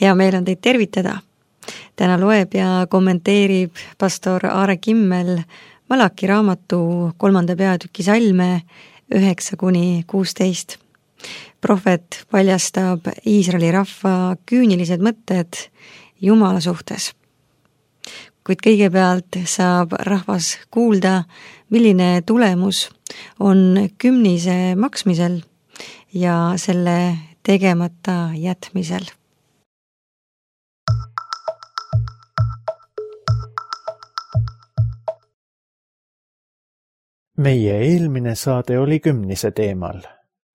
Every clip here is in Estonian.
Hea meel on teid tervitada. Täna loeb ja kommenteerib pastor Aare Kimmel Malaki raamatu 3. peatüki salme 9-16. Prohvet paljastab Iisraeli rahva küünilised mõtted Jumala suhtes. Kuid kõigepealt saab rahvas kuulda, milline tulemus on kümnise maksmisel ja selle tegemata jätmisel. Meie eelmine saade oli kümnise teemal.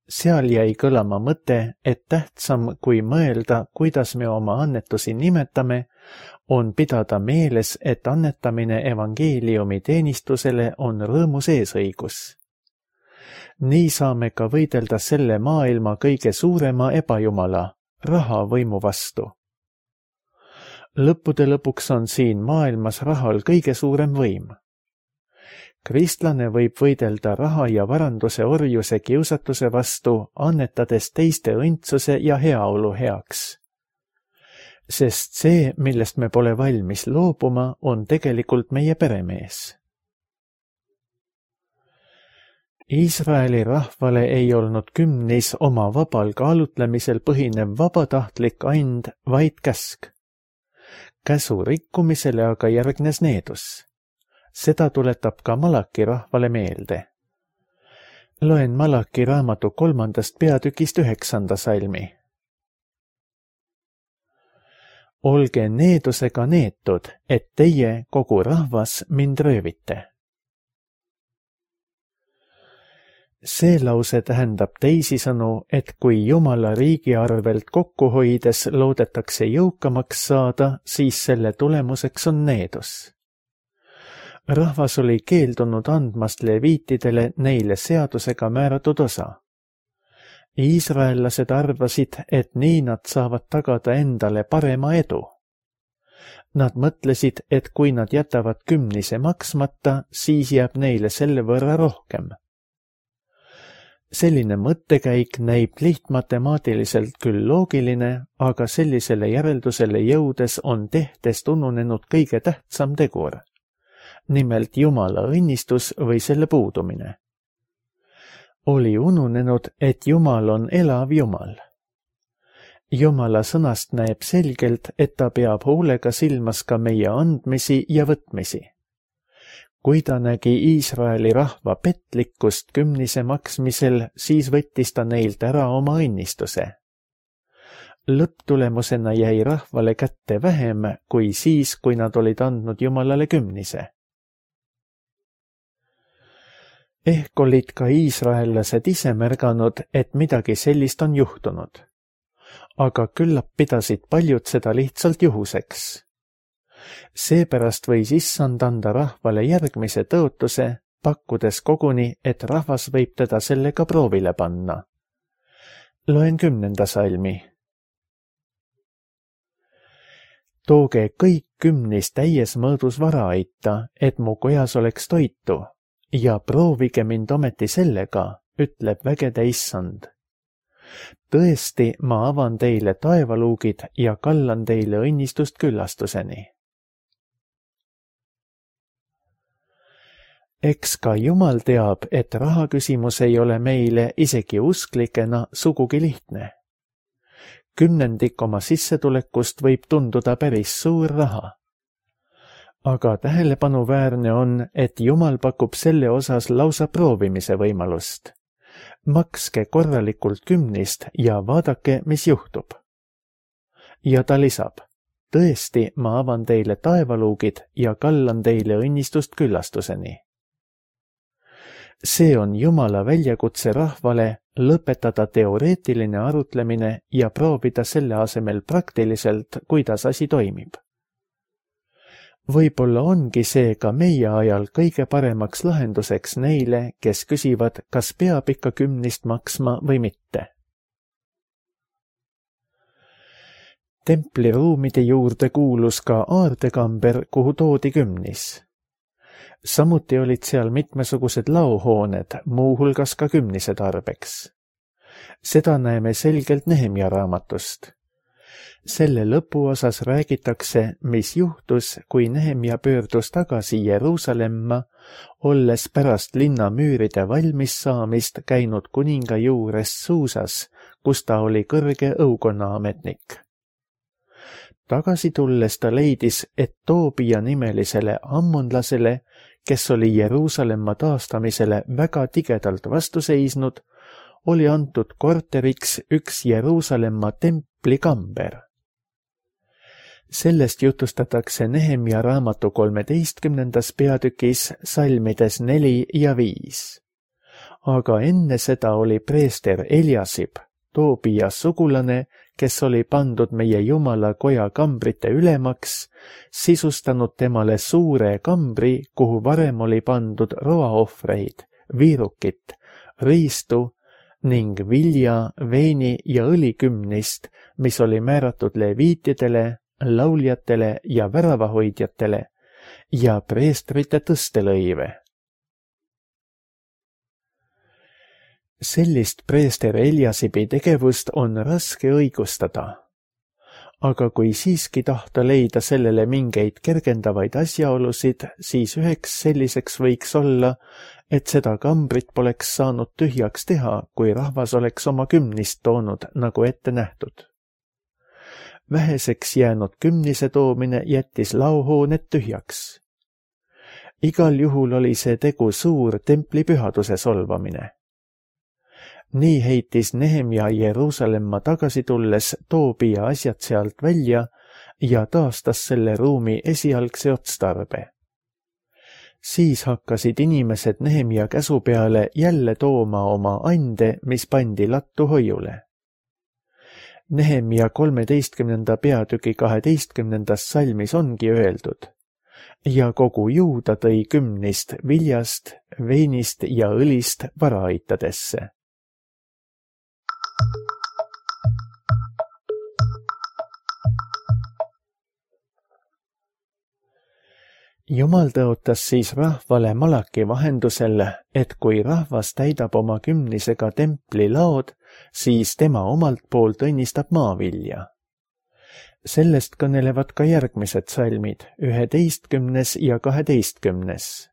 Seal jäi kõlama mõte, et tähtsam kui mõelda, kuidas me oma annetusi nimetame, on pidada meeles, et annetamine evangeeliumi teenistusele on rõõmus eesõigus. Nii saame ka võidelda selle maailma kõige suurema ebajumala, raha võimu vastu. Lõppude lõpuks on siin maailmas rahal kõige suurem võim. Kristlane võib võidelda raha ja varanduse orjuse kiusatuse vastu, annetades teiste õndsuse ja heaolu heaks. Sest see, millest me pole valmis loobuma, on tegelikult meie peremees. Iisraeli rahvale ei olnud kümnis oma vabal kaalutlemisel põhinev vabatahtlik and, vaid käsk. Käsu rikkumisele aga järgnes needus. Seda tuletab ka Malaki rahvale meelde. Loen Malaki raamatu 3. peatükist 9. salmi. Olge needusega neetud, et teie, kogu rahvas, mind röövite. See lause tähendab teisisõnu, et kui Jumala riigi arvelt kokku hoides loodetakse jõukamaks saada, siis selle tulemuseks on needus. Rahvas oli keeldunud andmast leviitidele neile seadusega määratud osa. Iisraellased arvasid, et nii nad saavad tagada endale parema edu. Nad mõtlesid, et kui nad jätavad kümnise maksmata, siis jääb neile selle võrra rohkem. Selline mõttekäik näib lihtmatemaatiliselt küll loogiline, aga sellisele järeldusele jõudes on tehtest ununenud kõige tähtsam tegur. Nimelt Jumala õnnistus või selle puudumine. Oli ununenud, et Jumal on elav Jumal. Jumala sõnast näeb selgelt, et ta peab hoolega silmas ka meie andmisi ja võtmisi. Kui ta nägi Iisraeli rahva petlikkust kümnise maksmisel, siis võttis ta neilt ära oma õnnistuse. Lõpptulemusena jäi rahvale kätte vähem kui siis, kui nad olid andnud Jumalale kümnise. Ehk olid ka iisraellased ise märganud, et midagi sellist on juhtunud. Aga küllap pidasid paljud seda lihtsalt juhuseks. Seepärast võis issand anda rahvale järgmise tõotuse, pakkudes koguni, et rahvas võib teda sellega proovile panna. Loen 10. salmi. Tooge kõik kümnis täies mõõdus vara aita, et mu kojas oleks toitu. Ja proovige mind ometi sellega, ütleb vägede issand. Tõesti, ma avan teile taevaluugid ja kallan teile õnnistust küllastuseni. Eks ka Jumal teab, et rahaküsimus ei ole meile isegi usklikena sugugi lihtne. 10% oma sissetulekust võib tunduda päris suur raha. Aga tähelepanuväärne on, et Jumal pakub selle osas lausa proovimise võimalust. Makske korralikult kümnist ja vaadake, mis juhtub. Ja ta lisab, tõesti, ma avan teile taevaluugid ja kallan teile õnnistust küllastuseni. See on Jumala väljakutse rahvale lõpetada teoreetiline arutlemine ja proovida selle asemel praktiliselt, kuidas asi toimib. Võib-olla ongi see ka meie ajal kõige paremaks lahenduseks neile, kes küsivad, kas peab ikka kümnist maksma või mitte. Templiruumide juurde kuulus ka aardekamber, kuhu toodi kümnis. Samuti olid seal mitmesugused laohooned, muuhulgas ka kümnise tarbeks. Seda näeme selgelt Nehemia raamatust. Selle lõpuosas räägitakse, mis juhtus, kui Nehemia pöördus tagasi Jeruusalemma, olles pärast linna müüride valmis saamist käinud kuninga juures Suusas, kus ta oli kõrge õukonnaametnik. Tagasi tulles ta leidis, et Toobia nimelisele ammonlasele, kes oli Jeruusalemma taastamisele väga tigedalt vastu seisnud, oli antud korteriks üks Jeruusalemma templikamber. Sellest jutustatakse Nehemia raamatu 13. peatükis salmides 4 ja 5. Aga enne seda oli preester Eliasib, Toobia sugulane, kes oli pandud meie Jumala koja kambrite ülemaks, sisustanud temale suure kambri, kuhu varem oli pandud roaohvreid, viirukit, riistu ning vilja, veini ja õlikümnist, mis oli määratud leviitidele, lauljatele ja väravahoidjatele ja preestrite tõstelõive. Sellist preester Eliasibi tegevust on raske õigustada. Aga kui siiski tahta leida sellele mingeid kergendavaid asjaolusid, siis üheks selliseks võiks olla, et seda kambrit poleks saanud tühjaks teha, kui rahvas oleks oma kümnist toonud, nagu ette nähtud. Väheseks jäänud kümnise toomine jättis laohooned tühjaks. Igal juhul oli see tegu suur templi pühaduse solvamine. Nii heitis Nehemia Jeruusalemma tagasi tulles Toobia asjad sealt välja ja taastas selle ruumi esialgse otstarbe. Siis hakkasid inimesed Nehemia käsu peale jälle tooma oma ande, mis pandi lattu hoiule. Nehemia 13. peatüki 12. salmis ongi öeldud: ja kogu Juuda tõi kümnist viljast, veinist ja õlist varaaitadesse. Jumal tõotas siis rahvale Malaki vahendusel, et kui rahvas täidab oma kümnisega templi laod, siis tema omalt poolt õnnistab maavilja. Sellest kõnelevad ka järgmised salmid, 11. ja 12.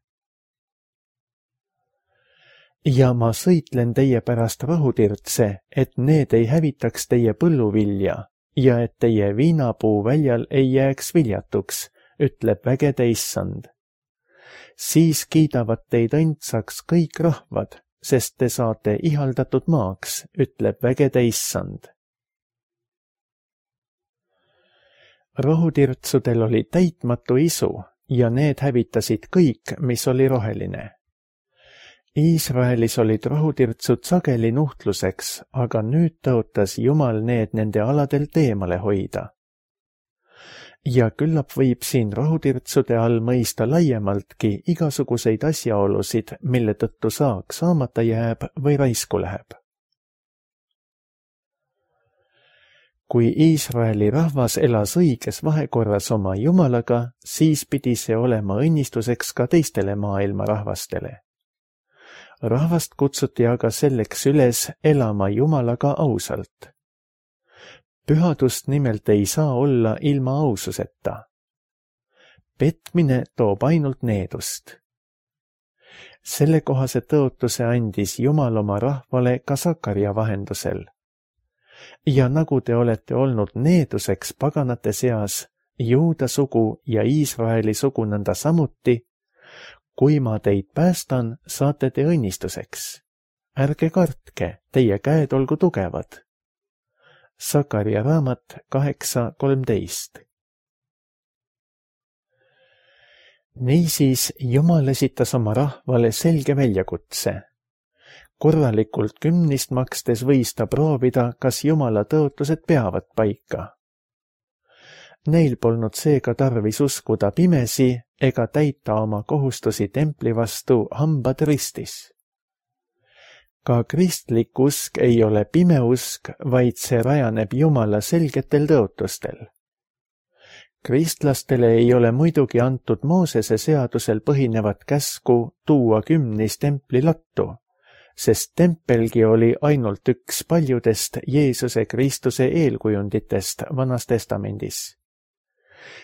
Ja ma sõitlen teie pärast rohutirtse, et need ei hävitaks teie põlluvilja ja et teie viinapuu väljal ei jääks viljatuks, ütleb vägede issand. Siis kiidavad teid õndsaks kõik rahvad, sest te saate ihaldatud maaks, ütleb vägede issand. Rohutirtsudel oli täitmatu isu ja need hävitasid kõik, mis oli roheline. Iisraelis olid rohutirtsud sageli nuhtluseks, aga nüüd tõotas Jumal need nende aladelt eemale hoida. Ja küllap võib siin rohutirtsude all mõista laiemaltki igasuguseid asjaolusid, mille tõttu saak saamata jääb või raisku läheb. Kui Iisraeli rahvas elas õiges vahekorras oma Jumalaga, siis pidi see olema õnnistuseks ka teistele maailma rahvastele. Rahvast kutsuti aga selleks üles elama Jumalaga ausalt. Pühadust nimelt ei saa olla ilma aususeta. Petmine toob ainult needust. Sellekohase tõotuse andis Jumal oma rahvale ka Sakaria vahendusel. Ja nagu te olete olnud needuseks paganate seas, Juuda sugu ja Iisraeli sugu nõnda samuti, kui ma teid päästan, saate te õnnistuseks. Ärge kartke, teie käed olgu tugevad. Sakaria raamat 8.13. Niisiis Jumal esitas oma rahvale selge väljakutse. Korralikult kümnist makstes võis ta proovida, kas Jumala tõotused peavad paika. Neil polnud seega tarvis uskuda pimesi ega täita oma kohustusi templi vastu hambad ristis. Ka kristlik usk ei ole pime usk, vaid see rajaneb Jumala selgetel tõotustel. Kristlastele ei ole muidugi antud Moosese seadusel põhinevat käsku tuua kümnis templi lattu, sest tempelgi oli ainult üks paljudest Jeesuse Kristuse eelkujunditest Vanas Testamendis.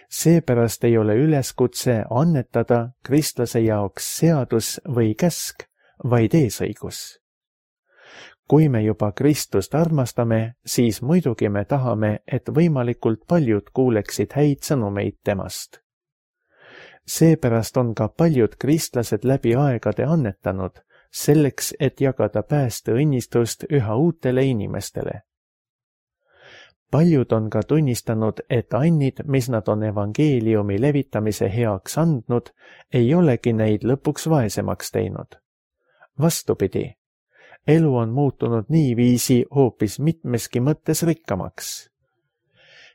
Seepärast ei ole üleskutse annetada kristlase jaoks seadus või käsk, vaid eesõigus. Kui me juba Kristust armastame, siis muidugi me tahame, et võimalikult paljud kuuleksid häid sõnumeid temast. Seepärast on ka paljud kristlased läbi aegade annetanud, selleks, et jagada päästeõnnistust üha uutele inimestele. Paljud on ka tunnistanud, et annid, mis nad on evangeeliumi levitamise heaks andnud, ei olegi neid lõpuks vaesemaks teinud. Vastupidi, elu on muutunud niiviisi hoopis mitmeski mõttes rikkamaks.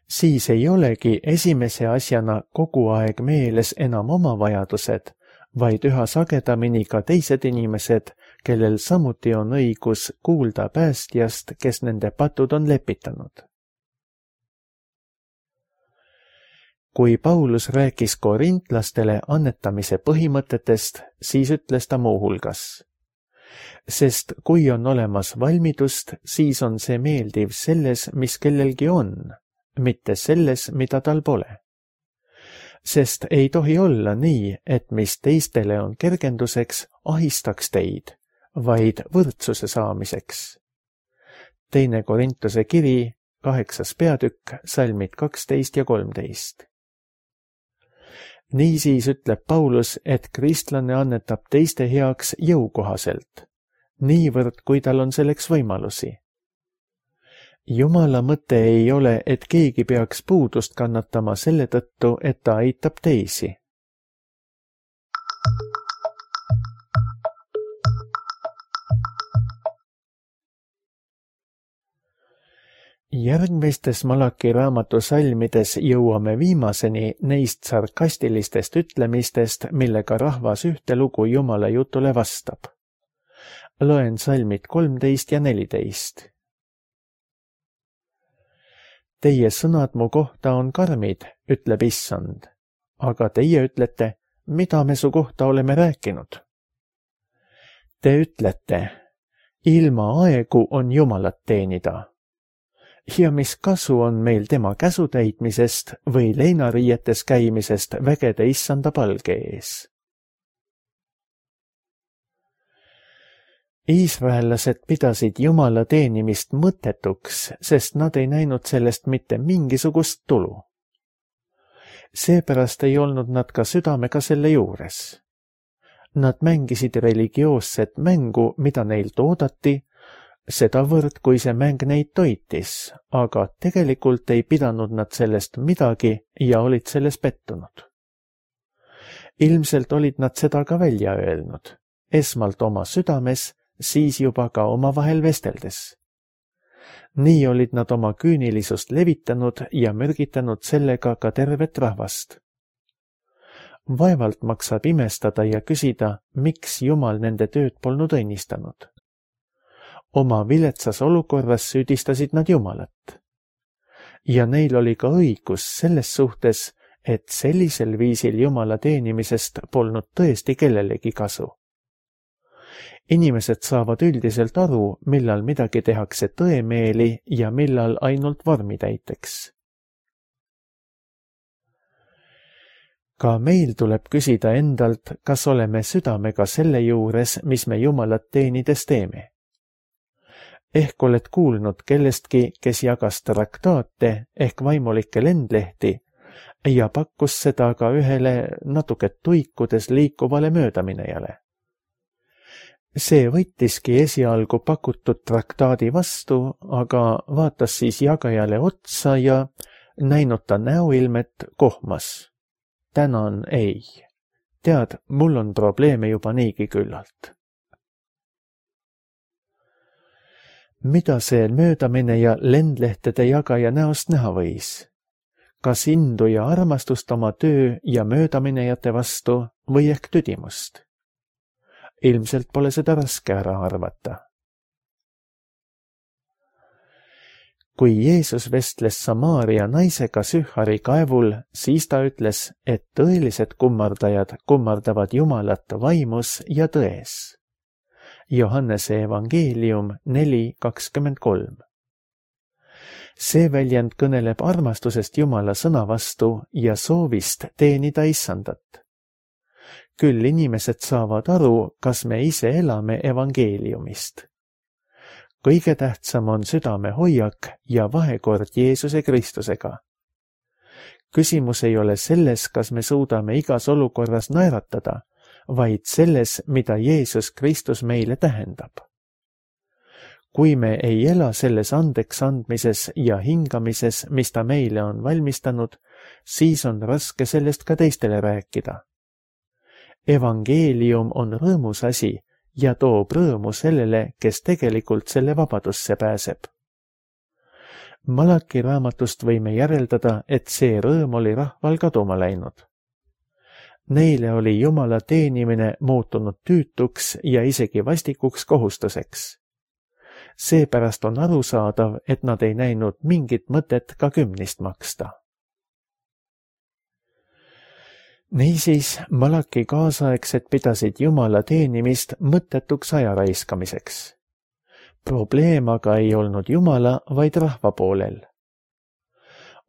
Siis ei olegi esimese asjana kogu aeg meeles enam oma vajadused, vaid üha sagedamini ka teised inimesed, kellel samuti on õigus kuulda päästjast, kes nende patud on lepitanud. Kui Paulus rääkis korintlastele annetamise põhimõtetest, siis ütles ta muuhulgas: sest kui on olemas valmidust, siis on see meeldiv selles, mis kellelgi on, mitte selles, mida tal pole. Sest ei tohi olla nii, et mis teistele on kergenduseks, ahistaks teid, vaid võrdsuse saamiseks. 2. Korintuse kiri, 8. peatükk, salmid 12 ja 13. Niisiis ütleb Paulus, et kristlane annetab teiste heaks jõukohaselt, niivõrd kui tal on selleks võimalusi. Jumala mõte ei ole, et keegi peaks puudust kannatama selle tõttu, et ta aitab teisi. Järgmistes Malaki raamatu salmides jõuame viimaseni neist sarkastilistest ütlemistest, millega rahvas ühte lugu Jumala jutule vastab. Loen salmid 13 ja 14. Teie sõnad mu kohta on karmid, ütleb Issand, aga teie ütlete, mida me su kohta oleme rääkinud. Te ütlete, ilma aegu on Jumalat teenida. Ja mis kasu on meil tema käsutäitmisest või leinariietes käimisest vägede Issanda palge ees? Iisraellased pidasid Jumala teenimist mõttetuks, sest nad ei näinud sellest mitte mingisugust tulu. Seepärast ei olnud nad ka südamega selle juures. Nad mängisid religioosset mängu, mida neilt oodati, sedavõrd kui see mäng neid toitis, aga tegelikult ei pidanud nad sellest midagi ja olid selles pettunud. Ilmselt olid nad seda ka välja öelnud, esmalt oma südames, siis juba ka omavahel vesteldes. Nii olid nad oma küünilisust levitanud ja mürgitanud sellega ka tervet rahvast. Vaevalt maksab imestada ja küsida, miks Jumal nende tööd polnud õnnistanud. Oma viletsas olukorras süüdistasid nad Jumalat. Ja neil oli ka õigus selles suhtes, et sellisel viisil Jumala teenimisest polnud tõesti kellelegi kasu. Inimesed saavad üldiselt aru, millal midagi tehakse tõemeeli ja millal ainult vormitäiteks. Ka meil tuleb küsida endalt, kas oleme südamega selle juures, mis me Jumalat teenides teeme. Ehk oled kuulnud kellestki, kes jagas traktaate ehk vaimulikke lendlehti ja pakkus seda ka ühele natuke tuikudes liikuvale möödaminejale. See võttiski esialgu pakutud traktaadi vastu, aga vaatas siis jagajale otsa ja näinud ta näoilmet kohmas. Tänan ei. Tead, mul on probleeme juba niigi küllalt. Mida see möödamineja lendlehtede jagaja näost näha võis? Kas indu ja armastust oma töö ja möödaminejate vastu või ehk tüdimust? Ilmselt pole seda raske ära arvata. Kui Jeesus vestles Samaaria naisega Sühari kaevul, siis ta ütles, et tõelised kummardajad kummardavad Jumalat vaimus ja tões. Johannese evangeelium 4:23. See väljend kõneleb armastusest Jumala sõna vastu ja soovist teenida Issandat. Küll inimesed saavad aru, kas me ise elame evangeeliumist. Kõige tähtsam on südame hoiak ja vahekord Jeesuse Kristusega. Küsimus ei ole selles, kas me suudame igas olukorras naeratada, vaid selles, mida Jeesus Kristus meile tähendab. Kui me ei ela selles andeks andmises ja hingamises, mis ta meile on valmistanud, siis on raske sellest ka teistele rääkida. Evangeelium on rõõmus asi ja toob rõõmu sellele, kes tegelikult selle vabadusse pääseb. Malaki raamatust võime järeldada, et see rõõm oli rahval kaduma läinud. Neile oli Jumala teenimine muutunud tüütuks ja isegi vastikuks kohustuseks. Seepärast on arusaadav, et nad ei näinud mingit mõtet ka kümnist maksta. Niisiis, Malaki kaasaegsed pidasid Jumala teenimist mõttetuks aja raiskamiseks. Probleem aga ei olnud Jumala, vaid rahva poolel.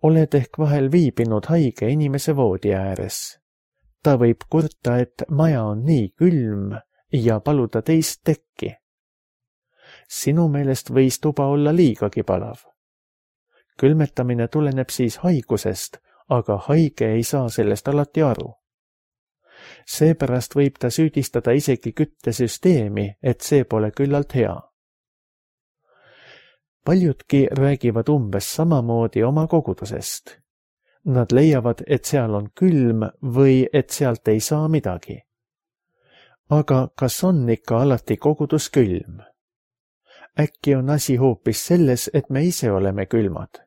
Oled ehk vahel viibinud haige inimese voodi ääres. Ta võib kurta, et maja on nii külm ja paluda teist tekki. Sinu meelest võis tuba olla liigagi palav. Külmetamine tuleneb siis haigusest, aga haige ei saa sellest alati aru. Seepärast võib ta süüdistada isegi küttesüsteemi, et see pole küllalt hea. Paljudki räägivad umbes samamoodi oma kogudusest. Nad leiavad, et seal on külm või et sealt ei saa midagi. Aga kas on ikka alati kogudus külm? Äkki on asi hoopis selles, et me ise oleme külmad.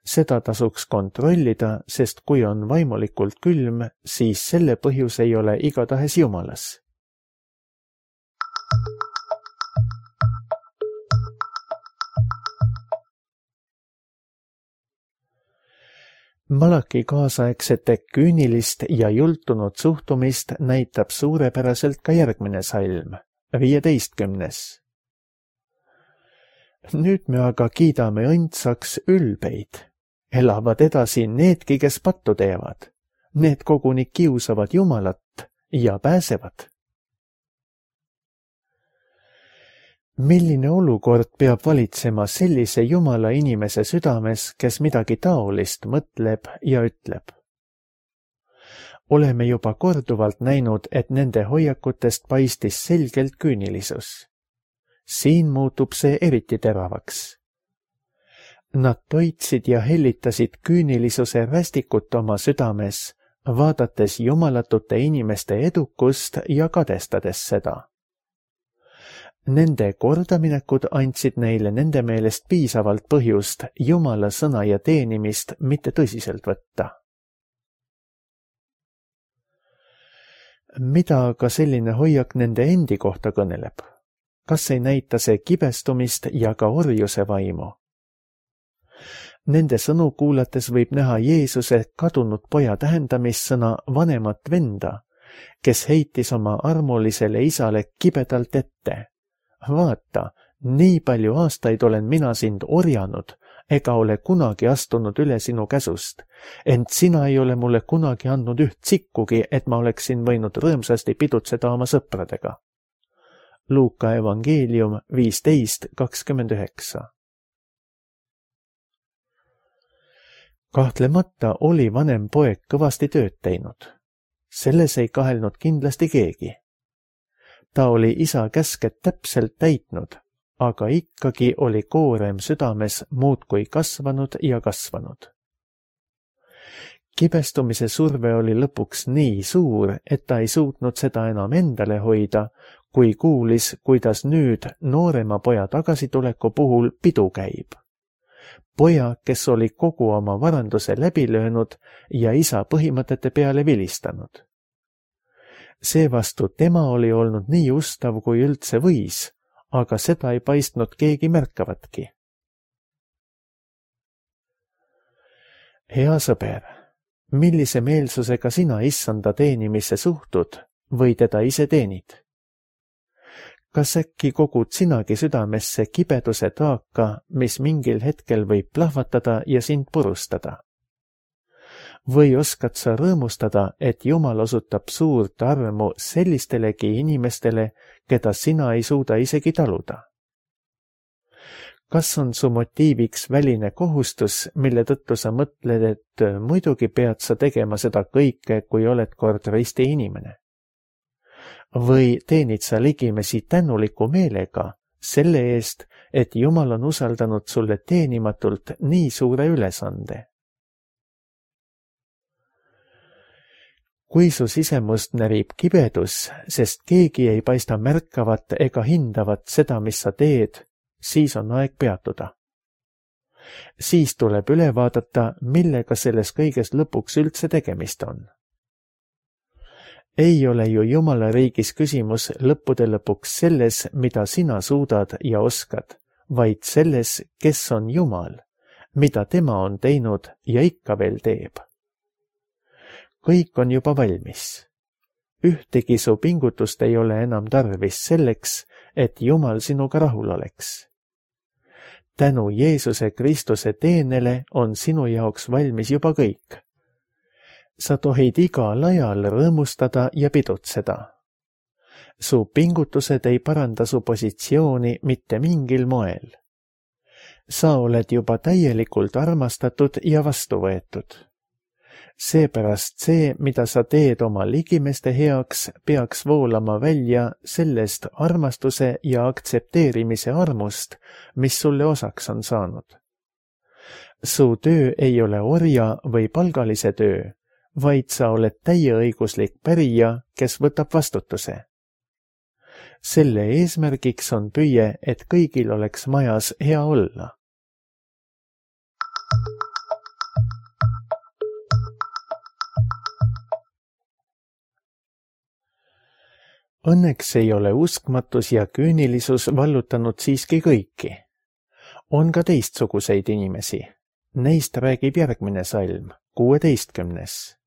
Seda tasuks kontrollida, sest kui on vaimulikult külm, siis selle põhjus ei ole igatahes Jumalas. Malaki kaasaegsete küünilist ja jultunud suhtumist näitab suurepäraselt ka järgmine salm, 15. Nüüd me aga kiidame õndsaks ülbeid. Elavad edasi needki, kes pattu teevad. Need koguni kiusavad Jumalat ja pääsevad. Milline olukord peab valitsema sellise Jumala inimese südames, kes midagi taolist mõtleb ja ütleb? Oleme juba korduvalt näinud, et nende hoiakutest paistis selgelt küünilisus. Siin muutub see eriti teravaks. Nad toitsid ja hellitasid küünilisuse rästikut oma südames, vaadates jumalatute inimeste edukust ja kadestades seda. Nende kordaminekud andsid neile nende meelest piisavalt põhjust Jumala sõna ja teenimist mitte tõsiselt võtta. Mida aga selline hoiak nende endi kohta kõneleb? Kas ei näita see kibestumist ja ka orjuse vaimu? Nende sõnu kuulates võib näha Jeesuse kadunud poja tähendamissõna vanemat venda, kes heitis oma armulisele isale kibedalt ette. Vaata, nii palju aastaid olen mina sind orjanud, ega ole kunagi astunud üle sinu käsust, ent sina ei ole mulle kunagi andnud üht sikkugi, et ma oleksin võinud rõõmsasti pidutseda oma sõpradega. Luuka evangeelium 15:29. Kahtlemata oli vanem poeg kõvasti tööd teinud. Selles ei kahelnud kindlasti keegi. Ta oli isa käsked täpselt täitnud, aga ikkagi oli koorem südames muudkui kasvanud ja kasvanud. Kibestumise surve oli lõpuks nii suur, et ta ei suutnud seda enam endale hoida, kui kuulis, kuidas nüüd noorema poja tagasituleku puhul pidu käib. Poja, kes oli kogu oma varanduse läbi löönud ja isa põhimõtete peale vilistanud. Seevastu tema oli olnud nii ustav, kui üldse võis, aga seda ei paistnud keegi märkavatki. Hea sõber, millise meelsusega sina Issanda teenimisse suhtud või teda ise teenid? kas äkki kogud sinagi südamesse kibeduse taaka, mis mingil hetkel võib plahvatada ja sind purustada? Või oskad sa rõõmustada, et Jumal osutab suurt armu sellistelegi inimestele, keda sina ei suuda isegi taluda? Kas on su motiiviks väline kohustus, mille tõttu sa mõtled, et muidugi pead sa tegema seda kõike, kui oled kord risti inimene? Või teenid sa ligimesi tänuliku meelega selle eest, et Jumal on usaldanud sulle teenimatult nii suure ülesande? Kui su sisemust närib kibedus, sest keegi ei paista märkavat ega hindavat seda, mis sa teed, siis on aeg peatuda. Siis tuleb üle vaadata, millega selles kõiges lõpuks üldse tegemist on. Ei ole ju Jumala riigis küsimus lõppude lõpuks selles, mida sina suudad ja oskad, vaid selles, kes on Jumal, mida tema on teinud ja ikka veel teeb. Kõik on juba valmis. Ühtegi su pingutust ei ole enam tarvis selleks, et Jumal sinuga rahul oleks. Tänu Jeesuse Kristuse teenele on sinu jaoks valmis juba kõik. Sa tohid igal ajal rõõmustada ja pidutseda. Su pingutused ei paranda su positsiooni mitte mingil moel. Sa oled juba täielikult armastatud ja vastu võetud. Seepärast see, mida sa teed oma ligimeste heaks, peaks voolama välja sellest armastuse ja aktsepteerimise armust, mis sulle osaks on saanud. Su töö ei ole orja või palgalise töö, vaid sa oled täieõiguslik pärija, kes võtab vastutuse. Selle eesmärgiks on püüe, et kõigil oleks majas hea olla. Õnneks ei ole uskmatus ja küünilisus vallutanud siiski kõiki. On ka teistsuguseid inimesi. Neist räägib järgmine salm, 16.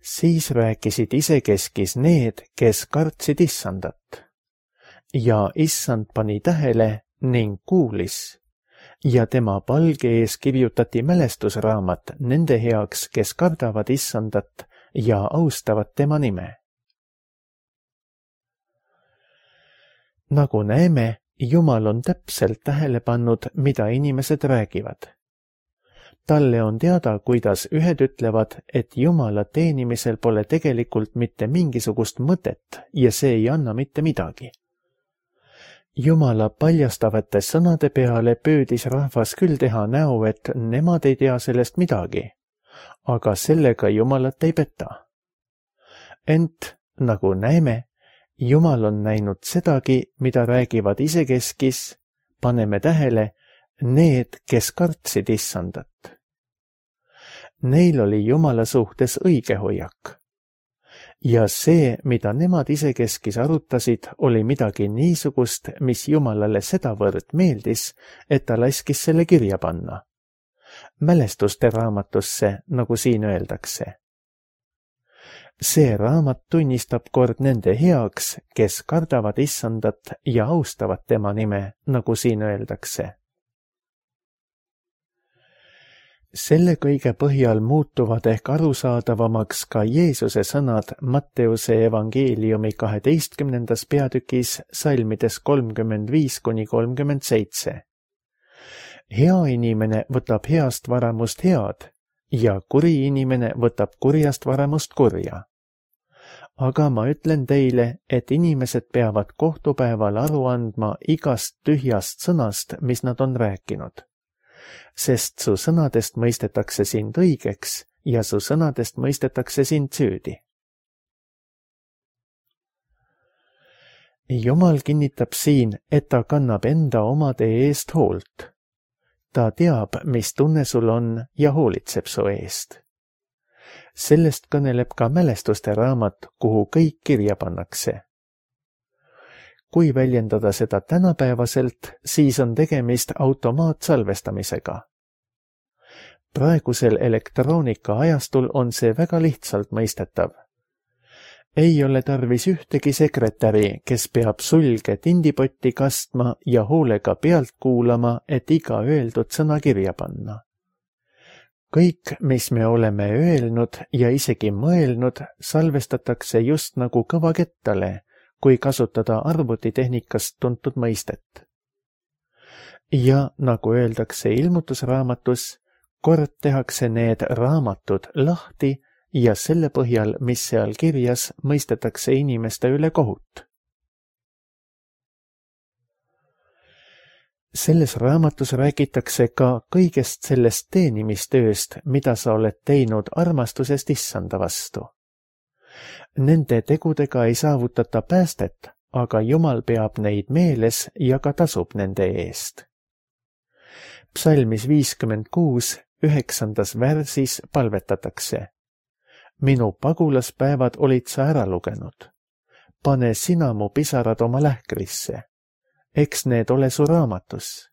Siis rääkisid isekeskis need, kes kartsid issandat. Ja issand pani tähele ning kuulis. Ja tema palge ees kirjutati mälestusraamat nende heaks, kes kardavad issandat ja austavad tema nime. Nagu näeme, Jumal on täpselt tähele pannud, mida inimesed räägivad. Talle on teada, kuidas ühed ütlevad, et Jumala teenimisel pole tegelikult mitte mingisugust mõtet ja see ei anna mitte midagi. Jumala paljastavate sõnade peale püüdis rahvas küll teha näo, et nemad ei tea sellest midagi. Aga sellega Jumalat ei peta. Ent, nagu näeme, Jumal on näinud sedagi, mida räägivad isekeskis, paneme tähele, need, kes kartsid issandat. Neil oli Jumala suhtes õige hoiak. Ja see, mida nemad isekeskis arutasid, oli midagi niisugust, mis Jumalale sedavõrd meeldis, et ta laskis selle kirja panna. Mälestuste raamatusse, nagu siin öeldakse. See raamat tunnistab kord nende heaks, kes kardavad issandat ja austavad tema nime, nagu siin öeldakse. Selle kõige põhjal muutuvad ehk arusaadavamaks ka Jeesuse sõnad Matteuse evangeeliumi 12. peatükis salmides 35–37. Hea inimene võtab heast varamust head ja kuri inimene võtab kurjast varamust kurja. Aga ma ütlen teile, et inimesed peavad kohtupäeval aru andma igast tühjast sõnast, mis nad on rääkinud. Sest su sõnadest mõistetakse sind õigeks ja su sõnadest mõistetakse sind süüdi. Jumal kinnitab siin, et ta kannab enda omade eest hoolt. Ta teab, mis tunne sul on ja hoolitseb su eest. Sellest kõneleb ka mälestuste raamat, kuhu kõik kirja pannakse. Kui väljendada seda tänapäevaselt, siis on tegemist automaatsalvestamisega. Praegusel elektroonika ajastul on see väga lihtsalt mõistetav. Ei ole tarvis ühtegi sekretäri, kes peab sulge tindipotti kastma ja hoolega pealt kuulama, et iga öeldud sõna kirja panna. Kõik, mis me oleme öelnud ja isegi mõelnud, salvestatakse just nagu kõvakettale, kui kasutada arvutitehnikast tuntud mõistet. Ja nagu öeldakse ilmutusraamatus, kord tehakse need raamatud lahti ja selle põhjal, mis seal kirjas, mõistetakse inimeste üle kohut. Selles raamatus räägitakse ka kõigest sellest teenimistööst, mida sa oled teinud armastusest Issanda vastu. Nende tegudega ei saavutata päästet, aga Jumal peab neid meeles ja ka tasub nende eest. Psalmis 56, 9. värsis palvetatakse. Minu pagulaspäevad olid sa ära lugenud. Pane sina mu pisarad oma lähkrisse. Eks need ole su raamatus.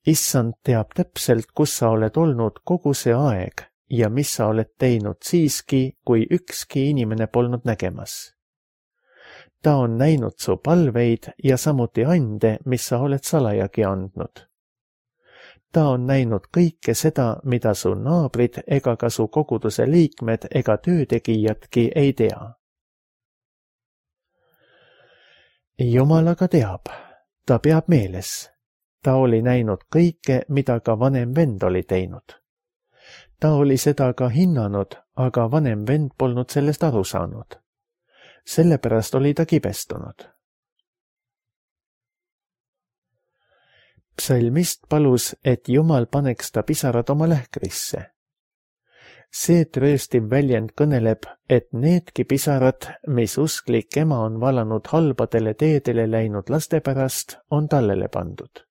Issand teab täpselt, kus sa oled olnud kogu see aeg ja mis sa oled teinud siiski, kui ükski inimene polnud nägemas. Ta on näinud su palveid ja samuti ande, mis sa oled salajagi andnud. Ta on näinud kõike seda, mida su naabrid ega ka su koguduse liikmed ega töötegijadki ei tea. Jumal aga teab, ta peab meeles. Ta oli näinud kõike, mida ka vanem vend oli teinud. Ta oli seda ka hinnanud, aga vanem vend polnud sellest aru saanud. Sellepärast oli ta kibestunud. Psalmist palus, et Jumal paneks ta pisarad oma lähkrisse. See trööstiv väljend kõneleb, et needki pisarad, mis usklik ema on valanud halbadele teedele läinud laste pärast, on tallele pandud.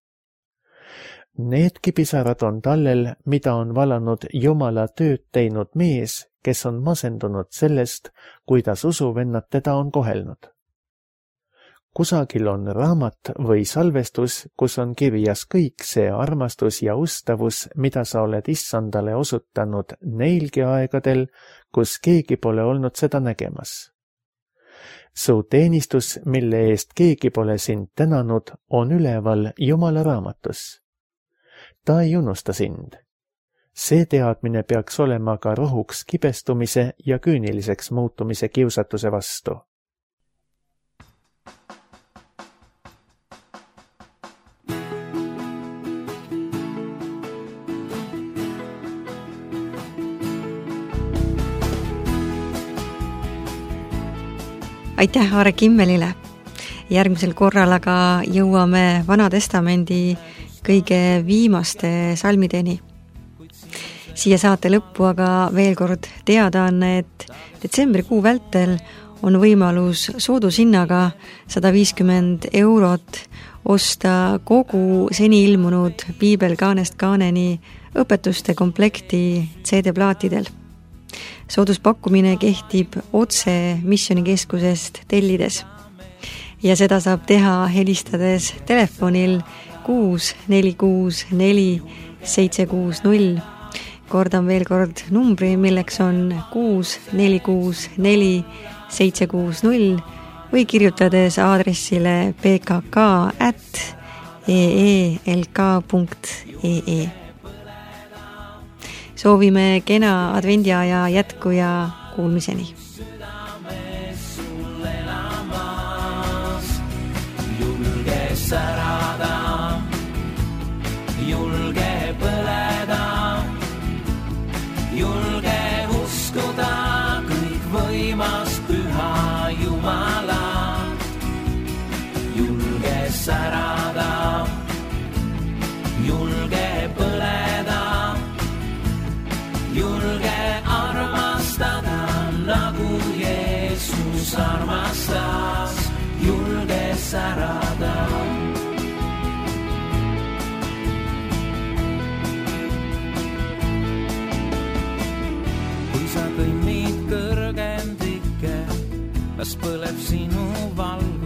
Needki pisarad on tallel, mida on valanud Jumala tööd teinud mees, kes on masendunud sellest, kuidas usuvennad teda on kohelnud. Kusagil on raamat või salvestus, kus on kirjas kõik see armastus ja ustavus, mida sa oled Issandale osutanud neilgi aegadel, kus keegi pole olnud seda nägemas. Su teenistus, mille eest keegi pole sind tänanud, on üleval Jumala raamatus. Ta ei unusta sind. See teadmine peaks olema ka rohuks kibestumise ja küüniliseks muutumise kiusatuse vastu. Aitäh Aare Kimmelile! Järgmisel korral aga jõuame Vana Testamendi kõige viimaste salmideni. Siia saate lõppu aga veel kord teadaanne, et detsembrikuu vältel on võimalus soodushinnaga 150 € osta kogu seni ilmunud Piibel kaanest kaaneni õpetuste komplekti CD-plaatidel. Sooduspakkumine kehtib otse Missionikeskusest tellides ja seda saab teha helistades telefonil 6464 760. Kordan veel kord numbri, milleks on 6464 760 või kirjutades aadressile pkk@eelk.ee. Soovime kena advendiaja jätku ja kuulmiseni. Julge särada, julge põleda, julge uskuda kõik võimas püha Jumalat. Julge särada, julge põleda, julge armastada, nagu Jeesus armastas, julge särada. Kui sa kõnnid kõrgendikke, las põleb sinu valge.